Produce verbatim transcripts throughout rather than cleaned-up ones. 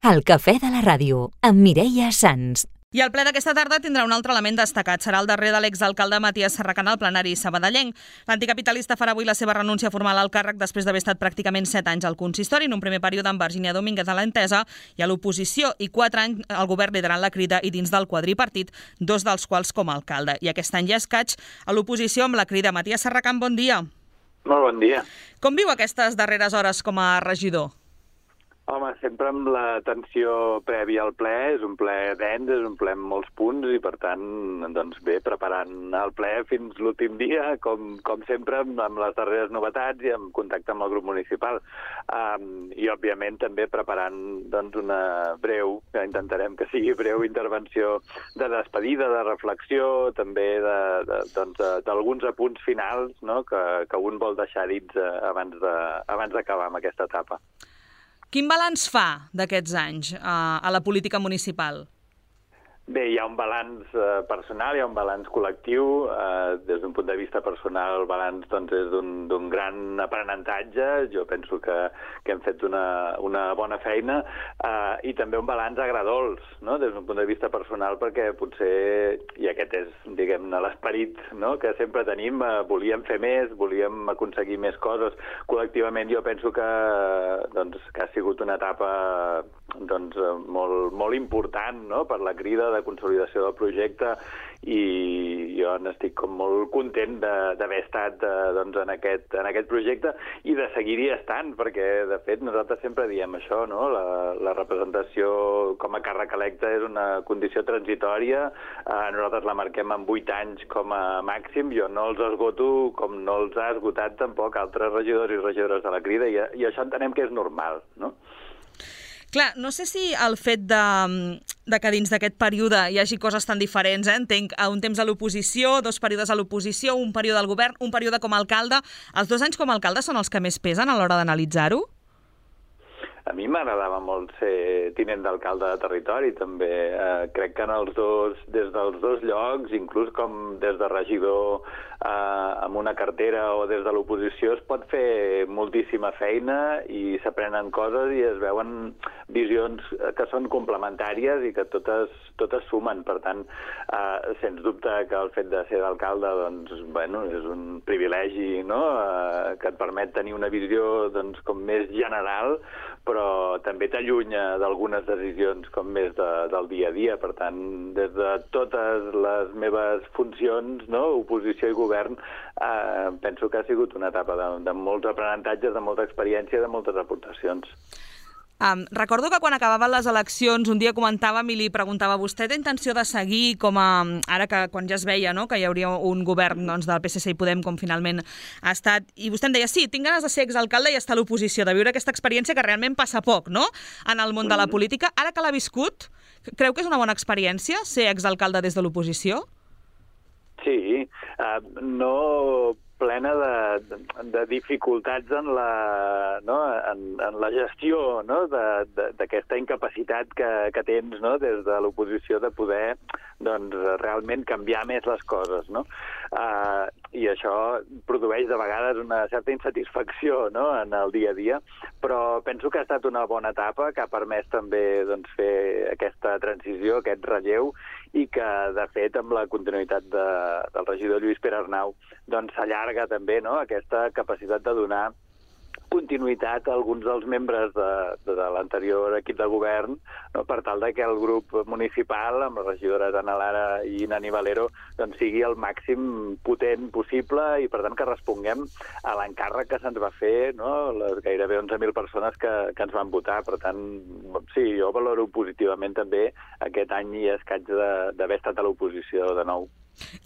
El cafè de la ràdio, amb Mireia Sans. I el ple d'aquesta tarda tindrà un altre element destacat. Serà el darrer de l'exalcalde Matías Serracant al plenari sabadellenc. L'anticapitalista farà avui la seva renúncia formal al càrrec després d'haver estat pràcticament set anys al consistori, en un primer període amb Virginia Domínguez a l'Entesa i a l'oposició, i quatre anys al govern liderant la Crida i dins del quadripartit, dos dels quals com a alcalde. I aquest any ja escaig a l'oposició amb la Crida. Matías Serracant, bon dia. Molt bon dia. Com viu aquestes darreres hores com a regidor? Home, sempre amb la tensió prèvia al ple, és un ple dens, és un ple amb molts punts i, per tant, doncs bé, preparant el ple fins l'últim dia, com, com sempre, amb, amb les darreres novetats i amb contacte amb el grup municipal. Um, I, òbviament, també preparant doncs, una breu, que intentarem que sigui breu, intervenció de despedida, de reflexió, també de, de, doncs, d'alguns apunts finals, no?, que, que un vol deixar dits abans de, abans d'acabar amb aquesta etapa. Quin balanç fa d'aquests anys eh, a la política municipal? Bé, hi ha un balanç eh, personal, hi ha un balanç col·lectiu. Eh, des d'un punt de vista personal, el balanç doncs, és d'un gran aprenentatge. Jo penso que, que hem fet una, una bona feina. Eh, I també un balanç agradols, no?, des d'un punt de vista personal, perquè potser, i aquest és, diguem-ne, l'esperit, no?, que sempre tenim, eh, volíem fer més, volíem aconseguir més coses. Col·lectivament jo penso que, doncs, que ha sigut una etapa doncs, molt, molt important, no?, per la Crida, de consolidació del projecte, i jo n'estic com molt content d'haver estat eh, doncs, en, aquest, en aquest projecte i de seguir-hi estant, perquè de fet nosaltres sempre diem això, no? La, la representació com a càrrec electe és una condició transitòria, eh, nosaltres la marquem en vuit anys com a màxim, jo no els esgoto com no els ha esgotat tampoc altres regidors i regidores de la Crida, i, i això entenem que és normal, no? Clar, no sé si el fet de, de que dins d'aquest període hi hagi coses tan diferents, eh? Entenc un temps a l'oposició, dos períodes a l'oposició, un període al govern, un període com a alcalde. Els dos anys com a alcalde són els que més pesen a l'hora d'analitzar-ho? A mi m'agradava molt ser tinent d'alcalde de territori, també. Eh, crec que en els dos, des dels dos llocs, inclús com des de regidor eh, amb una cartera o des de l'oposició, es pot fer moltíssima feina i s'aprenen coses i es veuen visions que són complementàries i que totes, totes sumen. Per tant, eh, sens dubte que el fet de ser d'alcalde doncs, bueno, és un privilegi, no?, eh, que et permet tenir una visió doncs, com més general, però també t'allunya d'algunes decisions com més de, del dia a dia. Per tant, des de totes les meves funcions, no?, oposició i govern, eh, penso que ha sigut una etapa de, de molts aprenentatges, de molta experiència i de moltes aportacions. Um, recordo que quan acabaven les eleccions un dia comentàvem i li preguntava a vostè té intenció de seguir com a... Ara que quan ja es veia, no?, que hi hauria un govern doncs, del P S C i Podem com finalment ha estat, i vostè em deia sí, tinc ganes de ser exalcalde i estar a l'oposició, de viure aquesta experiència que realment passa poc, no?, en el món de la política. Ara que l'ha viscut, creu que és una bona experiència ser exalcalde des de l'oposició? Sí, uh, no plena de, de dificultats en la, no, en, en la gestió, no?, d'aquesta incapacitat que, que tens, no?, des de l'oposició de poder doncs, realment canviar més les coses, no? Uh, I això produeix de vegades una certa insatisfacció, no?, en el dia a dia, però penso que ha estat una bona etapa que ha permès també doncs, fer aquesta transició, aquest relleu, i que, de fet, amb la continuïtat de, del regidor Lluís Pere Arnau, doncs s'allarga també, no?, aquesta capacitat de donar continuïtat a alguns dels membres de, de, de l'anterior equip de govern, no?, per tal de que el grup municipal, amb les regidores Ana Lara i Nani Valero, doncs sigui el màxim potent possible i, per tant, que responguem a l'encàrrec que se'ns va fer, no?, les gairebé onze mil persones que, que ens van votar. Per tant, sí, jo valoro positivament també aquest any i escaig d'haver estat a l'oposició de nou.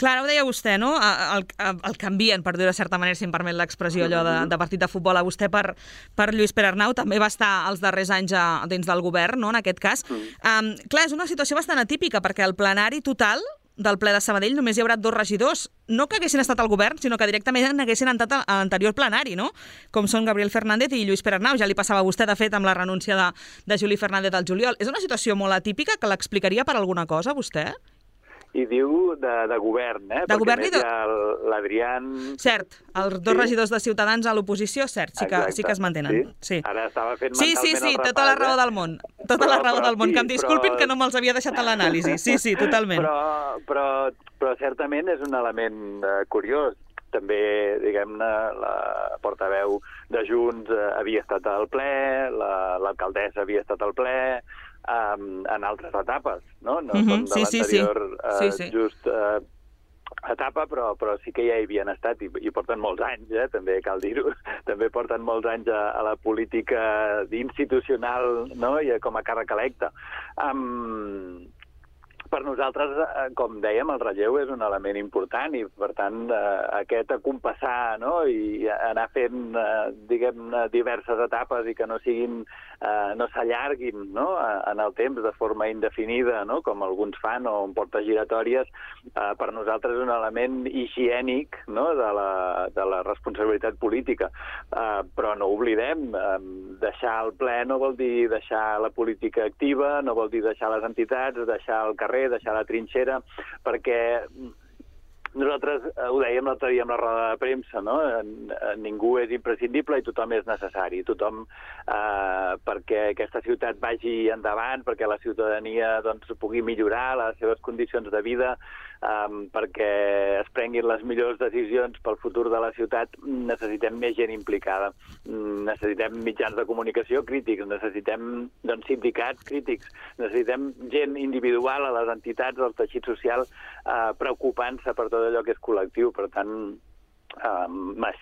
Clar, ara ho deia vostè, no? El, el, el canvien, per dir-ho de certa manera, si em permet l'expressió allò de, de partit de futbol, a vostè per, per Lluís Pere Arnau, també va estar els darrers anys a, dins del govern, no?, en aquest cas. Um, clar, és una situació bastant atípica, perquè el plenari total del ple de Sabadell només hi haurà dos regidors, no que haguessin estat al govern, sinó que directament haguessin entrat a l'anterior plenari, no?, com són Gabriel Fernández i Lluís Pere Arnau. Ja li passava a vostè, de fet, amb la renúncia de, de Juli Fernández al juliol. És una situació molt atípica, que l'explicaria per alguna cosa, vostè? i diu de, de govern, eh? De Perquè govern més i de... hi ha l'Adrián... Cert, els dos Sí. regidors de Ciutadans a l'oposició, cert, sí que, Exacte. sí que es mantenen. Sí? Sí. Ara estava fent Sí, mentalment sí, sí, el tota la repàs, raó eh? del món. Tota Però- la raó però del món. sí, Que em disculpin però- que no me'ls havia deixat en l'anàlisi. Sí, sí, totalment. Però, però, però certament és un element eh, curiós. També, diguem-ne, la portaveu de Junts eh, havia estat al ple, la- l'alcaldessa havia estat al ple, um, en altres etapes, no? No Mhm, són de sí, sí, sí. l'anterior eh, Sí, sí. just eh, etapa, però, però sí que ja hi havien estat i, i porten molts anys, eh? També cal dir-ho. També porten molts anys a, a la política institucional, no? I com a càrrec electe. Um, per nosaltres, eh, com dèiem, el relleu és un element important i, per tant, eh, aquest acompassar, no? I anar fent, eh, diguem, diverses etapes i que no siguin, eh, no s'allarguin, no? En el temps de forma indefinida, no? Com alguns fan, o en portes giratòries, eh, per nosaltres és un element higiènic, no? de, la, de la responsabilitat política. Eh, però no oblidem, eh, deixar el ple no vol dir deixar la política activa, no vol dir deixar les entitats, deixar el carrer, deixar la trinxera, perquè nosaltres eh, ho dèiem l'altre dia amb la roda de premsa, no? Ningú és imprescindible i tothom és necessari. Tothom, eh, perquè aquesta ciutat vagi endavant, perquè la ciutadania doncs, pugui millorar les seves condicions de vida, eh, perquè es prenguin les millors decisions pel futur de la ciutat, necessitem més gent implicada. Necessitem mitjans de comunicació crítics, necessitem doncs, sindicats crítics, necessitem gent individual a les entitats, al teixit social, eh, preocupant-se per tot allò que és col·lectiu. Per tant, eh,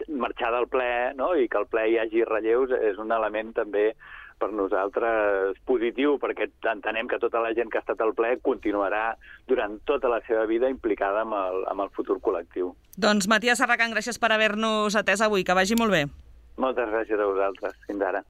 marxar del ple, no? I que al ple hi hagi relleus és un element també per nosaltres positiu, perquè entenem que tota la gent que ha estat al ple continuarà durant tota la seva vida implicada amb el, amb el futur col·lectiu. Doncs Matías Serracant, gràcies per haver-nos atès avui. Que vagi molt bé. Moltes gràcies a vosaltres. Fins ara.